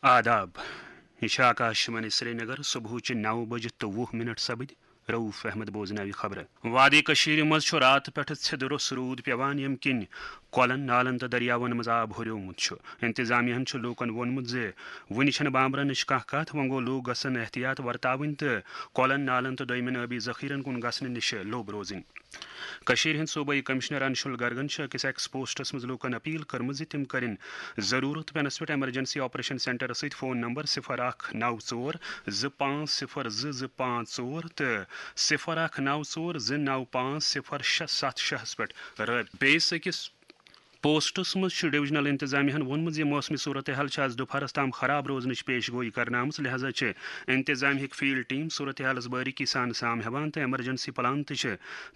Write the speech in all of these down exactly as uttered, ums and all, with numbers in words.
آداب۔ یہِ چھِ آکاشوانی سرینگر۔ صبحٕچہِ نَو بجہِ تہٕ وُہ منٹ سپٕدۍ۔ رؤف احمد بوزناوِ خبرٕ۔ وادی کٔشیٖرِ منٛز چھُ راتہٕ پٮ۪ٹھٕ ژھِدٕ روٚس روٗد پٮ۪وان، ییٚمہِ کِنۍ کۄلَن، نالَن تہٕ دٔریاوَن منٛز آب ہُریومُت چھُ۔ انتظامیہَن چھُ لوٗکَن ووٚنمُت زِ وُنہِ چھَنہٕ بامبرَن نِش کانٛہہ کَتھ، وۄنۍ گوٚو لوٗکھ گژھن احتیاط ورتاوٕنۍ تہٕ کۄلَن، نالَن تہٕ دوٚیمٮ۪ن ٲبی ذخیرَن کُن گژھنہٕ نِش لوٚب روزٕنۍ۔ کٔشیٖرِ ہٕنٛدۍ صوبٲیی کمشنر انشول گرگن چھِ أکِس ایکس پوسٹس منٛز لوٗکن اپیل کٔرمٕژ زِ تِم کٔرِن ضروٗرت پیٚنس پٮ۪ٹھ ایمرجنسی آپریشن سینٹرس سۭتۍ فون نمبر صفر اکھ نو ژور زٕ پانٛژھ صفر زٕ زٕ پانٛژھ ژور تہٕ صفر اکھ نو ژور زٕ نو پانٛژھ صفر شےٚ ستھ شےٚ ہَس پٮ۪ٹھ رٲبطہٕ۔ بیٚیِس أکِس پوسٹس منٛز چھُ ڈویژنل انتظامیہ ہن ووٚنمُت زِ موسمی صورتحال چھِ آز دُپہرس تام خراب روزنٕچ پیش گویی کرنہٕ آمٕژ، لہذا چھِ انتظامیہ ہٕکۍ فیلڈ ٹیم صورتحالس باریکی سان سام ہٮ۪وان تہٕ ایمرجنسی پلان تہِ چھِ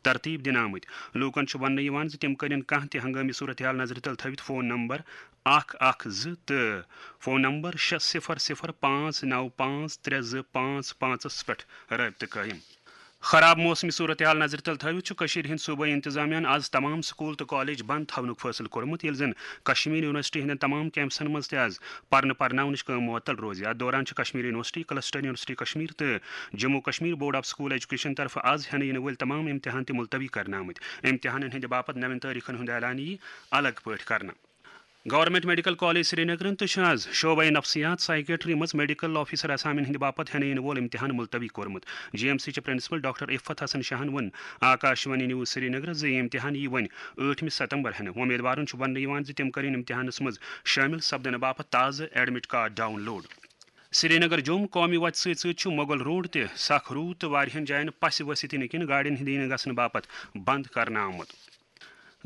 ترتیب دِنہٕ آمٕتۍ۔ لوٗکن چھُ وننہٕ یِوان زِ تِم کٔرِن کانٛہہ تہِ ہنگٲمی صورتحال نظرِ تل تھٲوِتھ فون نمبر اکھ اکھ زٕ تہٕ فون نمبر شےٚ صفر صفر پانٛژھ نو پانٛژھ ترٛےٚ زٕ پانٛژھ پانٛژس پٮ۪ٹھ رٲبطہٕ قٲیِم۔ خراب موسمی صورتحال نظرِ تل تھٲوِتھ چھُ کٔشیٖرِ ہٕنٛدۍ صوبٲیی انتظامیہ ہن آز تمام سکوٗل تہٕ کالج بند تھاونُک فٲصلہٕ کوٚرمُت، ییٚلہِ زن کشمیر یونیورسٹی ہٕنٛدٮ۪ن تمام کیمپسن منٛز تہِ آز پرنہٕ پرناونٕچ کٲم معطل روزِ۔ اتھ دوران چھِ Kashmir university, cluster university Kashmir تہٕ Jammu Kashmir board of school education طرفہٕ آز ہٮ۪نہٕ یِنہٕ وٲلۍ تمام امتحان تہِ ملتوی کرنہٕ آمٕتۍ۔ امتحانن ہٕنٛدِ باپتھ نوٮ۪ن تٲریخن ہُنٛد اعلان یِیہِ الگ پٲٹھۍ کرنہٕ۔ گورنمنٹ میڈیکل کالج سرینگرن تہٕ چھُ آز شعبہ نفسیات سائیکیٹری منٛز میڈیکل آفیسر اسامین ہٕنٛدِ باپتھ ہٮ۪نہٕ یِنہٕ وول امتحان ملتوی کوٚرمُت۔ جی ایم سی چہِ پرنسپل ڈاکٹر عفت حسن شاہن ووٚن آکاشوانی نیوز سرینگرس زِ یہِ امتحان یِیہِ وۄنۍ ٲٹھمہِ ستمبر ہٮ۪نہٕ۔ وۄمیدوارن چھُ وننہٕ یِوان زِ تِم کٔرِن امتحانس منٛز شٲمِل سپدنہٕ باپتھ تازٕ admit card download. Srinagar Jammu قومی وتہِ سۭتۍ سۭتۍ چھُ مغل روڈ تہِ سخ روٗد تہٕ واریاہن جاین پسہِ ؤسِتھ یِنہٕ کِنۍ گاڑٮ۪ن ہٕنٛدِ یِنہٕ گژھنہٕ باپتھ بند کرنہٕ آمُت۔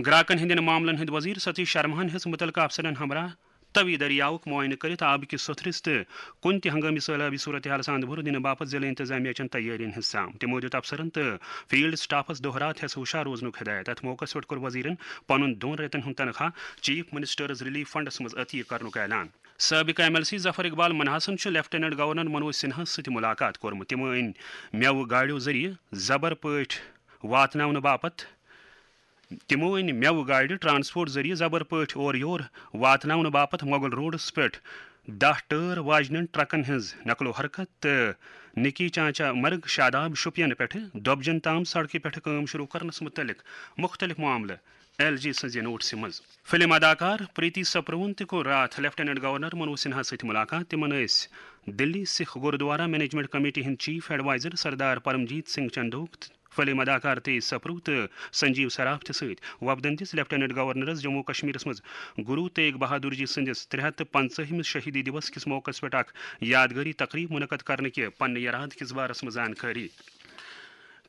گراکن ہٕنٛدٮ۪ن معاملن ہٕنٛدۍ وزیر ستیش شرماہن ہیٚژ مُتعلقہٕ افسرن ہمراہ توی دٔریاوُک معائنہٕ کٔرِتھ آبہٕ کِس سوٚتھرِس تہٕ کُنہِ تہِ ہنگٲمی سٲلٲبی صورتحالس اندٕ بُرٕ دِنہٕ باپتھ ضلعہٕ انتظامیہ چٮ۪ن تیٲرین ہٕنٛز سام۔ تِمو دیُت افسرن تہٕ فیلڈ سٹافس دۄہ راتھ ہٮ۪س ہُشار روزنُک ہدایت۔ اتھ موقعس پٮ۪ٹھ کوٚر وزیرن پنُن دۄن رٮ۪تن ہُنٛد تنخواہ چیف منسٹرز ریلیف فنڈس منٛز عطیہ کرنُک اعلان۔ سٲبقہٕ ایم ایل سی ظفر اقبال منحاسن چھُ لیفٹیننٹ گورنر منوج سنہاہس سۭتۍ مُلاقات کوٚرمُت۔ تِمو أنۍ مٮ۪وٕ گاڑیو ذٔریعہٕ زبر پٲٹھۍ واتناونہٕ باپتھ تِمو أنۍ مٮ۪وٕ گاڑِ ٹرانسپورٹ ذٔریعہٕ زبر پٲٹھۍ اورٕ یور واتناونہٕ باپتھ مغل روڈس پٮ۪ٹھ دَہ ٹٲر واجنٮ۪ن ٹرکن ہٕنٛز نقل و حرکت تہٕ نکی چانچہ مرگ شاداب شوپین پٮ۪ٹھٕ دۄبجن تام سڑکہِ پٮ۪ٹھٕ کٲم شروع کرنس مُتعلق مُختٔلِف معاملہٕ ایل جی سٕنٛزِ نوٹسہِ منٛز۔ فلم اداکار پریتی سپروہن تہِ کوٚر راتھ لیفٹیننٹ گورنر منوج سنہا سۭتۍ مُلاقات۔ تِمن ٲسۍ دلی سکھ گوردوارہ مینجمنٹ کمیٹی ہٕنٛدۍ چیف ایڈوائزر سردار پرمجیت سنگھ چندوک، فلم اداکار تیج سپرو تہٕ سنجیو سراف تہِ سۭتۍ۔ وفدن دِژ لیفٹیننٹ گورنرس جموں کشمیرس منٛز گرو تیگ بہادر جی سٕنٛدِس ترٛےٚ ہتھ تہٕ پنٛژاہمِس شہیدی دیوس کِس موقعس پٮ۪ٹھ اکھ یادگٲری تقریب منعقد کرنہٕ کہِ پننہِ یرادٕ کِس بارس منٛز زانکٲری۔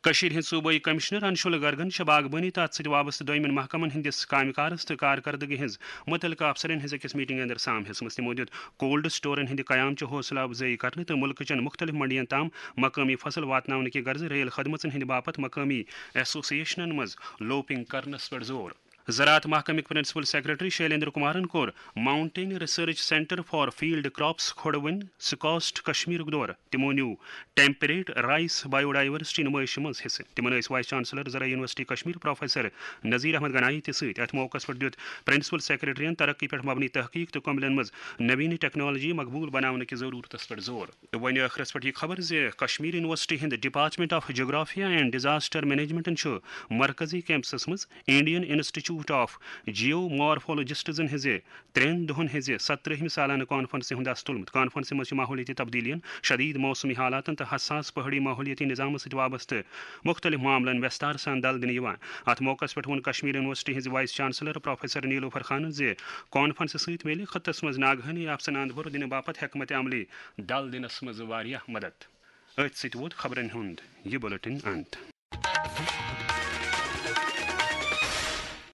کٔشیٖرِ ہٕنٛدۍ صوبٲیی کمشنر انشول گرگن چھِ باغبٲنی تہٕ اتھ سۭتۍ وابستہٕ دوٚیمٮ۪ن محکمن ہٕنٛدِس کامہِ کارس تہٕ کارکردگی ہٕنٛز مُتعلقہٕ افسرن ہٕنٛز أکِس میٹنگہِ اندر سام ہیٚژمٕژ۔ تِمو دیُت کولڈ سٹورن ہٕنٛدِ قیام چہِ حوصلہٕ افزٲیی کرنہٕ تہٕ مُلکہٕ چٮ۪ن مُختٔلِف منڈین تام مقٲمی فصل واتناونہٕ کہِ غرضہٕ ریل خدمژن ہٕنٛدِ باپتھ مقٲمی ایسوسیشنن منٛز لوپنگ کرنس پٮ۪ٹھ زور۔ زراعت محکمٕکۍ پرنسپل سیکرٹری شیلیندر کمارن کوٚر mountain research centre for field crops Khudwani SKUAST کشمیرُک دورٕ۔ تِمو new temperate rice biodiversity نمائشہِ منٛز حصہٕ۔ تِمن ٲسۍ وائس چانسلر زرعی یونیورسٹی کشمیر پروفیسر نذیر احمد گنایی تہِ سۭتۍ۔ اتھ موقعس پٮ۪ٹھ دیُت پرنسپل سیکرٹریَن ترقی پٮ۪ٹھ مبنی تحقیق تہٕ کملن منٛز نوینی ٹیکنالوجی مقبول بناونہٕ کہِ ضرورتس پٮ۪ٹھ زور۔ تہٕ وۄنۍ ٲخرس پٮ۪ٹھ یہِ خبر زِ کشمیر یونیورسٹی ہٕنٛدِ ڈپارٹمنٹ آف جغرافیہ اینڈ ڈیزاسٹر مینجمنٹن چھُ مرکزی کیمپسس منٛز انڈین انسٹیٹیوٹ آف جیو مارفولوجسٹزن ہٕنٛزِ ترٛٮ۪ن دۄہن ہٕنٛزِ ستترٛہمہِ سالانہٕ کانفرنسہِ ہُنٛد اَسہٕ تُلمُت۔ کانفرنسہِ منٛز چھِ ماحولیٲتی تبدیلیَن، شدید موسمی حالاتن تہٕ حساس پہٲڑی ماحولیٲتی نظامس سۭتۍ وابستہٕ مُختٔلِف معاملن وٮ۪ستار سان دَل دِنہٕ یِوان۔ اَتھ موقعس پٮ۪ٹھ ووٚن کشمیر یونیورسٹی ہٕنٛزِ وائس چانسلر پروفیسر نیلوفر خانن زِ کانفرنسہِ سۭتۍ میلہِ خطس منٛز ناگہٲنی آفژن اندپھر دِنہٕ باپتھ حکمت عملی دَل دِنس منٛز واریاہ مدد۔ أتھۍ سۭتۍ ووت خبرن ہُنٛد یہِ بلیٹن انت۔